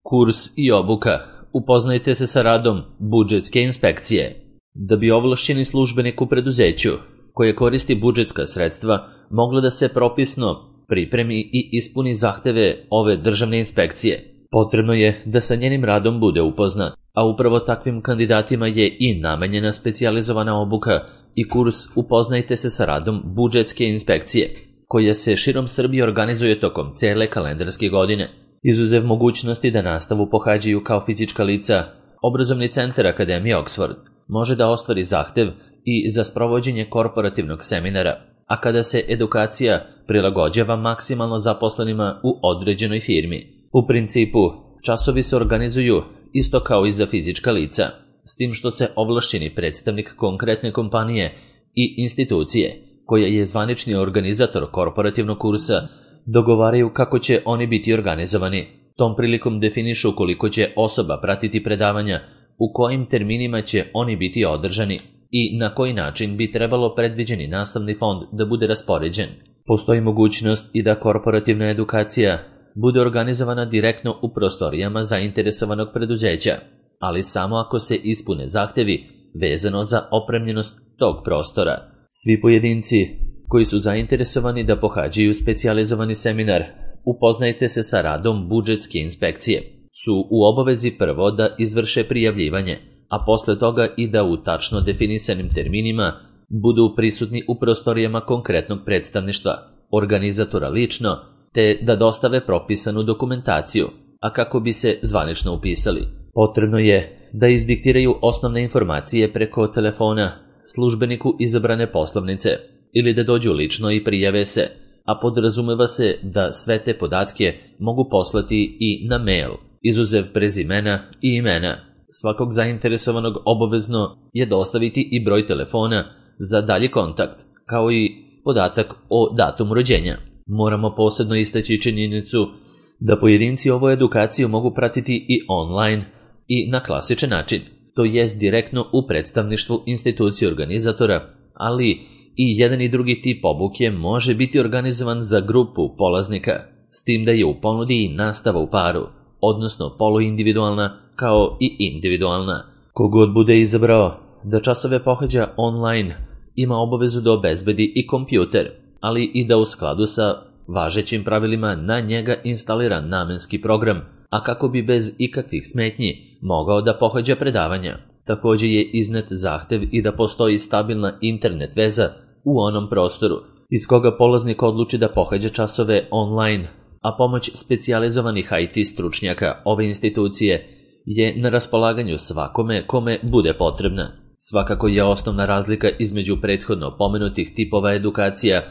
Kurs i obuka. Upoznajte se sa radom budžetske inspekcije. Da bi ovlašćeni službenik u preduzeću koje koristi budžetska sredstva moglo da se propisno pripremi i ispuni zahteve ove državne inspekcije, potrebno je da sa njenim radom bude upoznat, a upravo takvim kandidatima je i namenjena specijalizovana obuka i kurs Upoznajte se sa radom budžetske inspekcije, koja se širom Srbije organizuje tokom cele kalendarske godine. Izuzev mogućnosti da nastavu pohađaju kao fizička lica, Obrazovni centar Akademije Oxford može da ostvari zahtev i za sprovođenje korporativnog seminara, a kada se edukacija prilagođava maksimalno zaposlenima u određenoj firmi. U principu, časovi se organizuju isto kao i za fizička lica, s tim što se ovlašćeni predstavnik konkretne kompanije i institucije, koja je zvanični organizator korporativnog kursa, dogovaraju kako će oni biti organizovani. Tom prilikom definišu koliko će osoba pratiti predavanja, u kojim terminima će oni biti održani i na koji način bi trebalo predviđeni nastavni fond da bude raspoređen. Postoji mogućnost i da korporativna edukacija bude organizovana direktno u prostorijama zainteresovanog preduzeća, ali samo ako se ispune zahtevi vezano za opremljenost tog prostora. Svi pojedinci koji su zainteresovani da pohađaju specijalizovani seminar Upoznajte se sa radom budžetske inspekcije su u obavezi prvo da izvrše prijavljivanje, a posle toga i da u tačno definisanim terminima budu prisutni u prostorijama konkretnog predstavništva, organizatora lično, te da dostave propisanu dokumentaciju, a kako bi se zvanično upisali. Potrebno je da izdiktiraju osnovne informacije preko telefona službeniku izabrane poslovnice ili da dođu lično i prijave se, a podrazumeva se da sve te podatke mogu poslati i na mail, izuzev prezimena i imena. Svakog zainteresovanog obavezno je dostaviti i broj telefona za dalji kontakt, kao i podatak o datumu rođenja. Moramo posebno istaći činjenicu da pojedinci ovu edukaciju mogu pratiti i online i na klasičan način, to jest direktno u predstavništvu institucije organizatora, ali i jedan i drugi tip obuke može biti organizovan za grupu polaznika, s tim da je u ponudi i nastava u paru, odnosno poluindividualna kao i individualna. Kogod bude izabrao da časove pohađa online, ima obavezu da obezbedi i kompjuter, ali i da u skladu sa važećim pravilima na njega instalira namenski program, a kako bi bez ikakvih smetnji mogao da pohađa predavanja. Također je iznet zahtev i da postoji stabilna internet veza u onom prostoru iz koga polaznik odluči da pohađa časove online, a pomoć specijalizovanih IT stručnjaka ove institucije je na raspolaganju svakome kome bude potrebna. Svakako je osnovna razlika između prethodno pomenutih tipova edukacija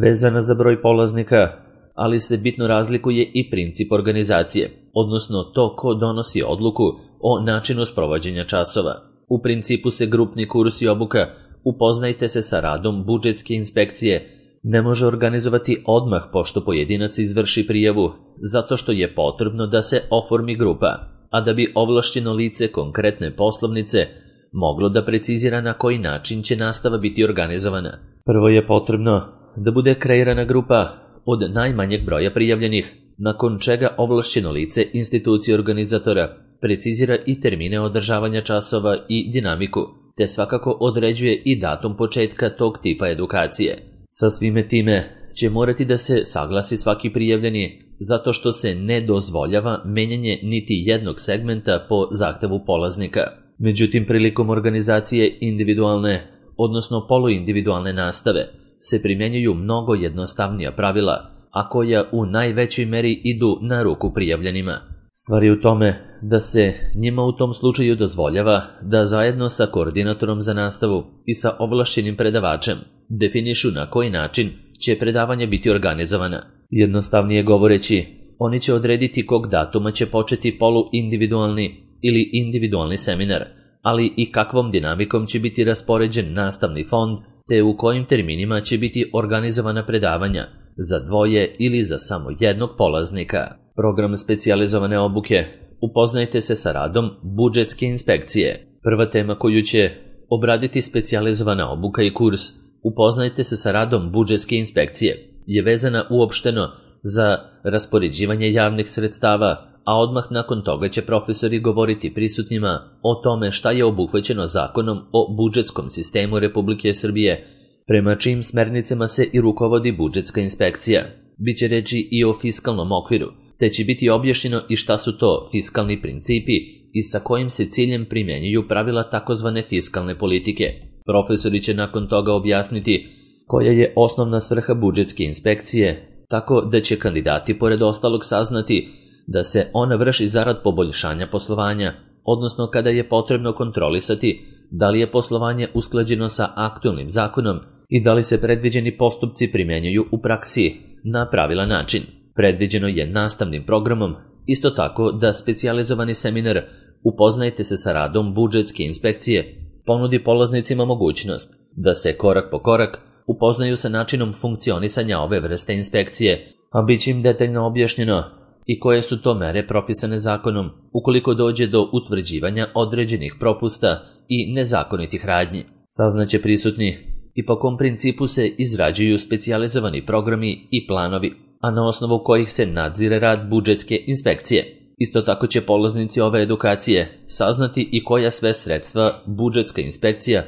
vezana za broj polaznika, ali se bitno razlikuje i princip organizacije, odnosno to ko donosi odluku o načinu sprovođenja časova. U principu se grupni kurs i obuka Upoznajte se sa radom budžetske inspekcije ne može organizovati odmah pošto pojedinac izvrši prijavu, zato što je potrebno da se oformi grupa, a da bi ovlašćeno lice konkretne poslovnice moglo da precizira na koji način će nastava biti organizovana. Prvo je potrebno da bude kreirana grupa od najmanjeg broja prijavljenih, nakon čega ovlašćeno lice institucije organizatora precizira i termine održavanja časova i dinamiku, te svakako određuje i datum početka tog tipa edukacije. Sa svime time će morati da se saglasi svaki prijavljeni, zato što se ne dozvoljava menjanje niti jednog segmenta po zahtevu polaznika. Međutim, prilikom organizacije individualne, odnosno poluindividualne nastave, se primjenjuju mnogo jednostavnija pravila, a koja u najvećoj meri idu na ruku prijavljenima. Stvar je u tome da se njima u tom slučaju dozvoljava da zajedno sa koordinatorom za nastavu i sa ovlašćenim predavačem definišu na koji način će predavanje biti organizovana. Jednostavnije govoreći, oni će odrediti kog datuma će početi poluindividualni ili individualni seminar, ali i kakvom dinamikom će biti raspoređen nastavni fond, te u kojim terminima će biti organizovana predavanja za dvoje ili za samo jednog polaznika. Program specijalizovane obuke Upoznajte se sa radom budžetske inspekcije. Prva tema koju će obraditi specijalizovana obuka i kurs Upoznajte se sa radom budžetske inspekcije je vezana uopšteno za raspoređivanje javnih sredstava a odmah nakon toga će profesori govoriti prisutnima o tome šta je obuhvaćeno zakonom o budžetskom sistemu Republike Srbije, prema čijim smernicama se i rukovodi budžetska inspekcija. Biće reči i o fiskalnom okviru, te će biti objašnjeno i šta su to fiskalni principi i sa kojim se ciljem primjenjuju pravila takozvane fiskalne politike. Profesori će nakon toga objasniti koja je osnovna svrha budžetske inspekcije, tako da će kandidati pored ostalog saznati da se ona vrši zarad poboljšanja poslovanja, odnosno kada je potrebno kontrolisati da li je poslovanje usklađeno sa aktualnim zakonom i da li se predviđeni postupci primjenjuju u praksi na pravilan način. Predviđeno je nastavnim programom isto tako da specijalizovani seminar Upoznajte se sa radom budžetske inspekcije ponudi polaznicima mogućnost da se korak po korak upoznaju sa načinom funkcionisanja ove vrste inspekcije, a bit će im detaljno objašnjeno i koje su to mere propisane zakonom ukoliko dođe do utvrđivanja određenih propusta i nezakonitih radnji. Saznaće prisutni i po kom principu se izrađuju specijalizovani programi i planovi, a na osnovu kojih se nadzire rad budžetske inspekcije. Isto tako će polaznici ove edukacije saznati i koja sve sredstva budžetska inspekcija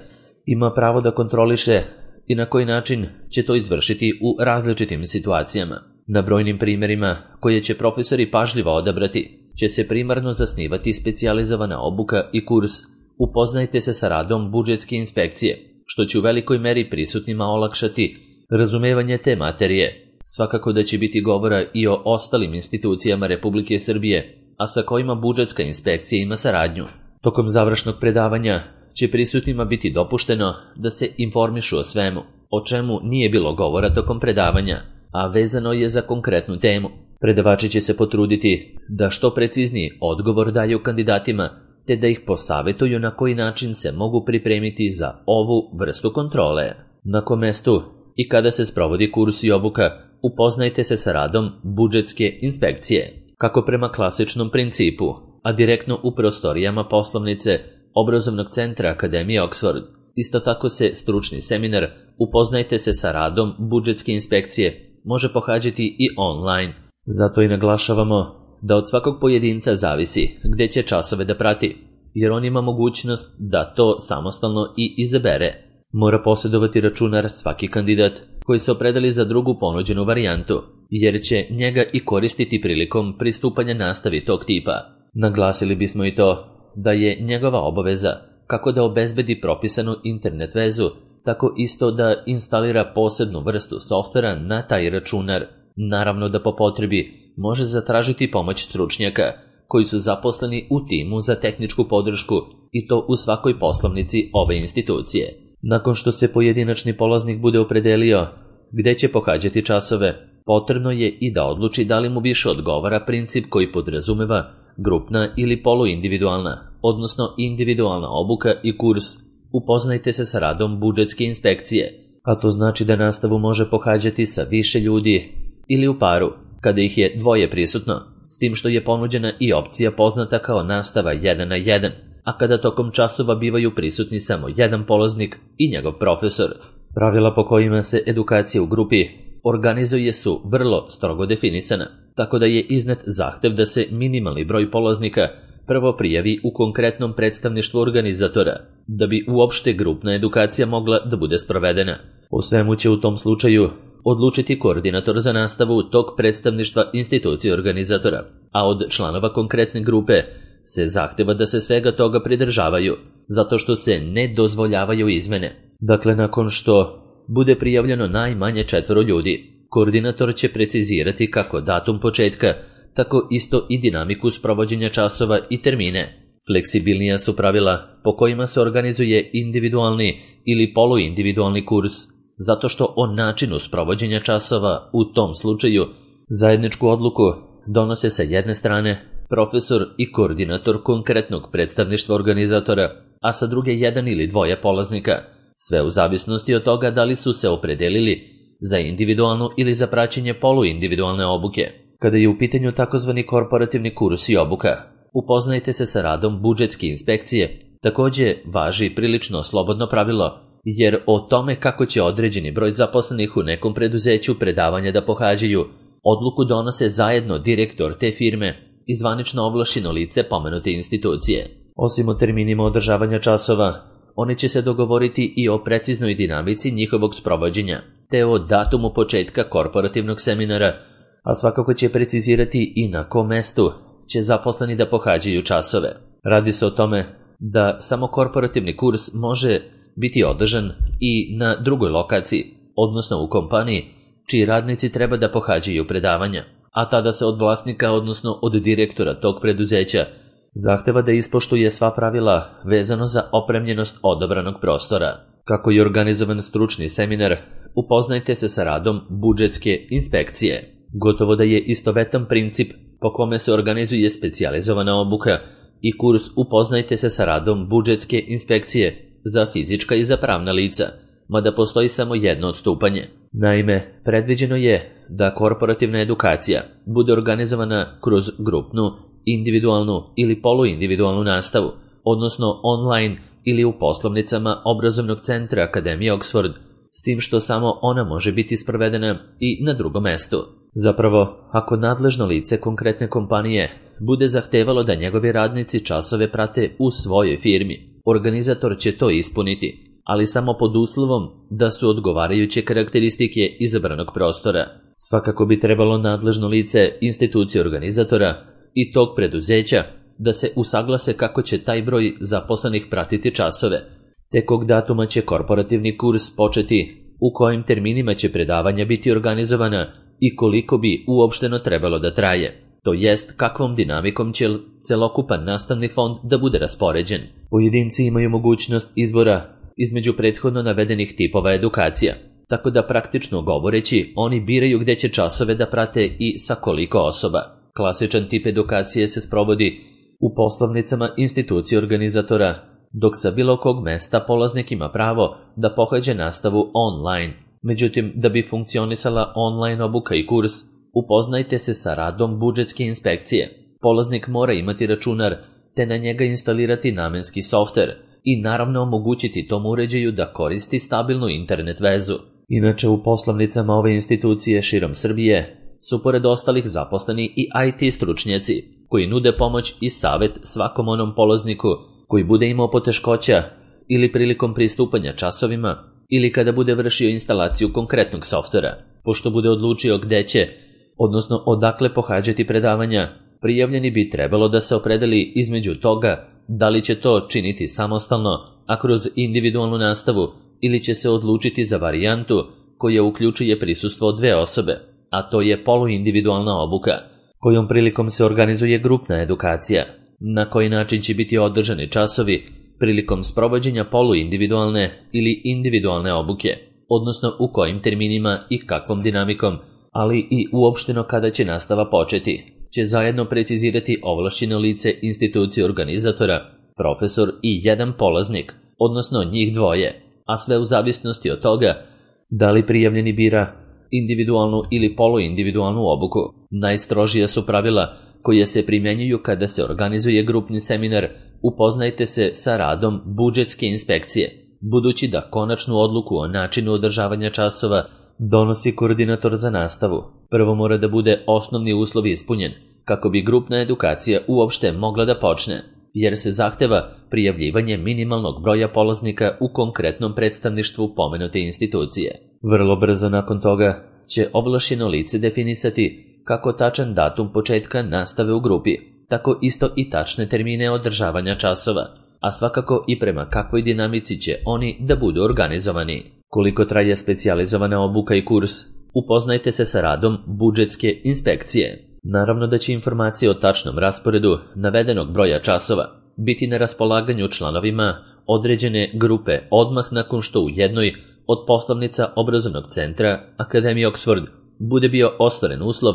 ima pravo da kontroliše i na koji način će to izvršiti u različitim situacijama. Na brojnim primjerima, koje će profesori pažljivo odabrati, će se primarno zasnivati specijalizovana obuka i kurs Upoznajte se sa radom budžetske inspekcije, što će u velikoj meri prisutnima olakšati razumevanje te materije. Svakako da će biti govora i o ostalim institucijama Republike Srbije, a sa kojima budžetska inspekcija ima saradnju. Tokom završnog predavanja će prisutnima biti dopušteno da se informišu o svemu, o čemu nije bilo govora tokom predavanja, a vezano je za konkretnu temu. Predavači će se potruditi da što precizniji odgovor daju kandidatima, te da ih posavetuju na koji način se mogu pripremiti za ovu vrstu kontrole. Na kom mestu i kada se sprovodi kurs i obuka, upoznajte se sa radom budžetske inspekcije, kako prema klasičnom principu, a direktno u prostorijama poslovnice Obrazovnog centra Akademije Oxford. Isto tako se stručni seminar Upoznajte se sa radom budžetske inspekcije može pohađati i online. Zato i naglašavamo da od svakog pojedinca zavisi gde će časove da prati, jer on ima mogućnost da to samostalno i izabere. Mora posjedovati računar svaki kandidat koji se opredeli za drugu ponuđenu varijantu, jer će njega i koristiti prilikom pristupanja nastavi tog tipa. Naglasili bismo i to da je njegova obaveza kako da obezbedi propisanu internet vezu, tako isto da instalira posebnu vrstu softvera na taj računar. Naravno da po potrebi može zatražiti pomoć stručnjaka koji su zaposleni u timu za tehničku podršku i to u svakoj poslovnici ove institucije. Nakon što se pojedinačni polaznik bude opredelio gde će pohađati časove, potrebno je i da odluči da li mu više odgovara princip koji podrazumeva grupna ili poluindividualna, odnosno individualna obuka i kurs Upoznajte se sa radom budžetske inspekcije, a to znači da nastavu može pohađati sa više ljudi ili u paru, kada ih je dvoje prisutno, s tim što je ponuđena i opcija poznata kao nastava 1 na 1, a kada tokom časova bivaju prisutni samo jedan polaznik i njegov profesor. Pravila po kojima se edukacija u grupi organizuje su vrlo strogo definisana, tako da je iznet zahtev da se minimalni broj polaznika prvo prijavi u konkretnom predstavništvu organizatora, da bi uopšte grupna edukacija mogla da bude sprovedena. O svemu će u tom slučaju odlučiti koordinator za nastavu tog predstavništva institucije organizatora, a od članova konkretne grupe se zahteva da se svega toga pridržavaju, zato što se ne dozvoljavaju izmene. Dakle, nakon što bude prijavljeno najmanje 4 ljudi, koordinator će precizirati kako datum početka, tako isto i dinamiku sprovođenja časova i termine. Fleksibilnija su pravila po kojima se organizuje individualni ili poluindividualni kurs, zato što o načinu sprovođenja časova u tom slučaju zajedničku odluku donose sa jedne strane profesor i koordinator konkretnog predstavništva organizatora, a sa druge jedan ili dvoje polaznika, sve u zavisnosti od toga da li su se opredelili za individualnu ili za praćenje poluindividualne obuke. Kada je u pitanju takozvani korporativni kurs i obuka, upoznajte se sa radom budžetske inspekcije, također važi prilično slobodno pravilo, jer o tome kako će određeni broj zaposlenih u nekom preduzeću predavanja da pohađaju, odluku donose zajedno direktor te firme i zvanično ovlašćeno lice pomenute institucije. Osim o terminima održavanja časova, oni će se dogovoriti i o preciznoj dinamici njihovog sprovođenja, te o datumu početka korporativnog seminara, a svakako će precizirati i na kom mestu će zaposleni da pohađaju časove. Radi se o tome da samo korporativni kurs može biti održan i na drugoj lokaciji, odnosno u kompaniji, čiji radnici treba da pohađaju predavanja, a tada se od vlasnika, odnosno od direktora tog preduzeća, zahteva da ispoštuje sva pravila vezano za opremljenost odabranog prostora. Kako je organizovan stručni seminar, upoznajte se sa radom budžetske inspekcije. Gotovo da je istovetan princip po kome se organizuje specijalizovana obuka i kurs upoznajte se sa radom budžetske inspekcije za fizička i za pravna lica, mada postoji samo jedno odstupanje. Naime, predviđeno je da korporativna edukacija bude organizovana kroz grupnu, individualnu ili poluindividualnu nastavu, odnosno online ili u poslovnicama obrazovnog centra Akademije Oxford, s tim što samo ona može biti sprovedena i na drugom mestu. Zapravo, ako nadležno lice konkretne kompanije bude zahtevalo da njegovi radnici časove prate u svojoj firmi, organizator će to ispuniti, ali samo pod uslovom da su odgovarajuće karakteristike izabranog prostora. Svakako bi trebalo nadležno lice institucije organizatora i tog preduzeća da se usaglase kako će taj broj zaposlenih pratiti časove, te kog datuma će korporativni kurs početi, u kojim terminima će predavanja biti organizovana i koliko bi uopšteno trebalo da traje, to jest kakvom dinamikom će celokupan nastavni fond da bude raspoređen. Pojedinci imaju mogućnost izbora između prethodno navedenih tipova edukacija, tako da praktično govoreći oni biraju gde će časove da prate i sa koliko osoba. Klasičan tip edukacije se sprovodi u poslovnicama institucije organizatora, dok sa bilo kog mesta polaznik ima pravo da pohađa nastavu online. Međutim, da bi funkcionisala online obuka i kurs, upoznajte se sa radom budžetske inspekcije. Polaznik mora imati računar, te na njega instalirati namenski softver i naravno omogućiti tom uređaju da koristi stabilnu internet vezu. Inače, u poslovnicama ove institucije širom Srbije su pored ostalih zaposleni i IT stručnjaci, koji nude pomoć i savet svakom onom polazniku koji bude imao poteškoća ili prilikom pristupanja časovima ili kada bude vršio instalaciju konkretnog softvera. Pošto bude odlučio gde će, odnosno odakle pohađati predavanja, prijavljeni bi trebalo da se opredeli između toga da li će to činiti samostalno, a kroz individualnu nastavu, ili će se odlučiti za varijantu koja uključuje prisustvo dve osobe, a to je poluindividualna obuka, kojom prilikom se organizuje grupna edukacija. Na koji način će biti održani časovi prilikom sprovođenja poluindividualne ili individualne obuke, odnosno u kojim terminima i kakvom dinamikom, ali i uopšteno kada će nastava početi, će zajedno precizirati ovlašćeno lice institucije organizatora, profesor i jedan polaznik, odnosno njih dvoje, a sve u zavisnosti od toga da li prijavljeni bira individualnu ili poluindividualnu obuku. Najstrožija su pravila koje se primjenjuju kada se organizuje grupni seminar. Upoznajte se sa radom budžetske inspekcije, budući da konačnu odluku o načinu održavanja časova donosi koordinator za nastavu. Prvo mora da bude osnovni uslov ispunjen, kako bi grupna edukacija uopšte mogla da počne, jer se zahteva prijavljivanje minimalnog broja polaznika u konkretnom predstavništvu pomenute institucije. Vrlo brzo nakon toga će ovlašćeno lice definisati kako tačan datum početka nastave u grupi, tako isto i tačne termine održavanja časova, a svakako i prema kakvoj dinamici će oni da budu organizovani. Koliko traje specijalizovana obuka i kurs, upoznajte se sa radom budžetske inspekcije. Naravno da će informacije o tačnom rasporedu navedenog broja časova biti na raspolaganju članovima određene grupe odmah nakon što u jednoj od poslovnica obrazovnog centra Akademije Oxford bude bio ostvaren uslov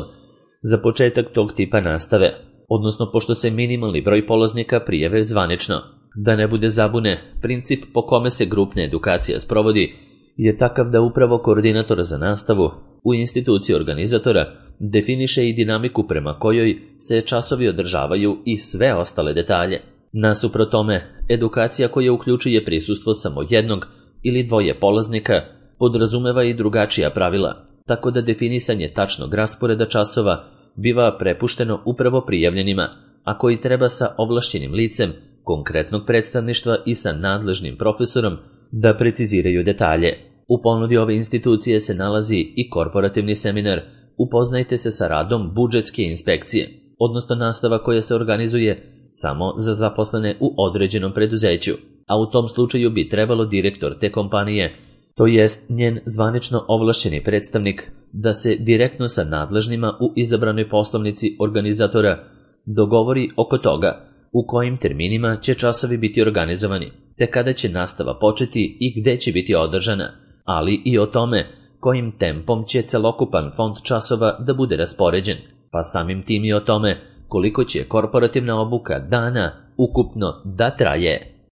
za početak tog tipa nastave, odnosno pošto se minimalni broj polaznika prijave zvanično. Da ne bude zabune, princip po kome se grupna edukacija sprovodi je takav da upravo koordinator za nastavu u instituciji organizatora definiše i dinamiku prema kojoj se časovi održavaju i sve ostale detalje. Nasuprot tome, edukacija koja uključuje prisustvo samo jednog ili dvoje polaznika podrazumeva i drugačija pravila, tako da definisanje tačnog rasporeda časova biva prepušteno upravo prijavljenima, a koji treba sa ovlašćenim licem konkretnog predstavništva i sa nadležnim profesorom da preciziraju detalje. U ponudi ove institucije se nalazi i korporativni seminar Upoznajte se sa radom budžetske inspekcije, odnosno nastava koja se organizuje samo za zaposlene u određenom preduzeću, a u tom slučaju bi trebalo direktor te kompanije, to jest njen zvanično ovlašćeni predstavnik, da se direktno sa nadležnima u izabranoj poslovnici organizatora dogovori oko toga u kojim terminima će časovi biti organizovani, te kada će nastava početi i gde će biti održana, ali i o tome kojim tempom će celokupan fond časova da bude raspoređen, pa samim tim i o tome koliko će korporativna obuka dana ukupno da traje.